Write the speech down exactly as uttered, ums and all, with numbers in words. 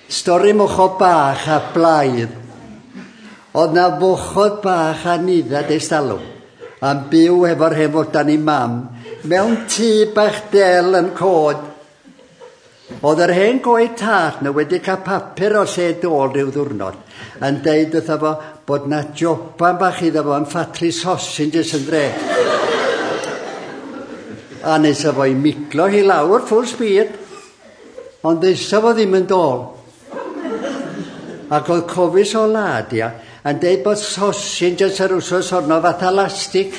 Stori mochod bach a blaidd. Oedd na fochod bach a niddad ers talwm, a'n byw efo'r hen fodan i mam, mewn tŷ bach del yn cod. Oedd yr hen goed tad nhw wedi cael papur o lle dôl rhyw ddwrnod, yn deud wrtho fo bod na joban bach iddo fo yn ffatri sausages yn dre. A nes fo i miglo hi lawr full speed, ond ddeusa fo ddim yn dôl. Ac oedd cofis o lad, ia, yn deud bod sausages yr wsos honno fatha lastig.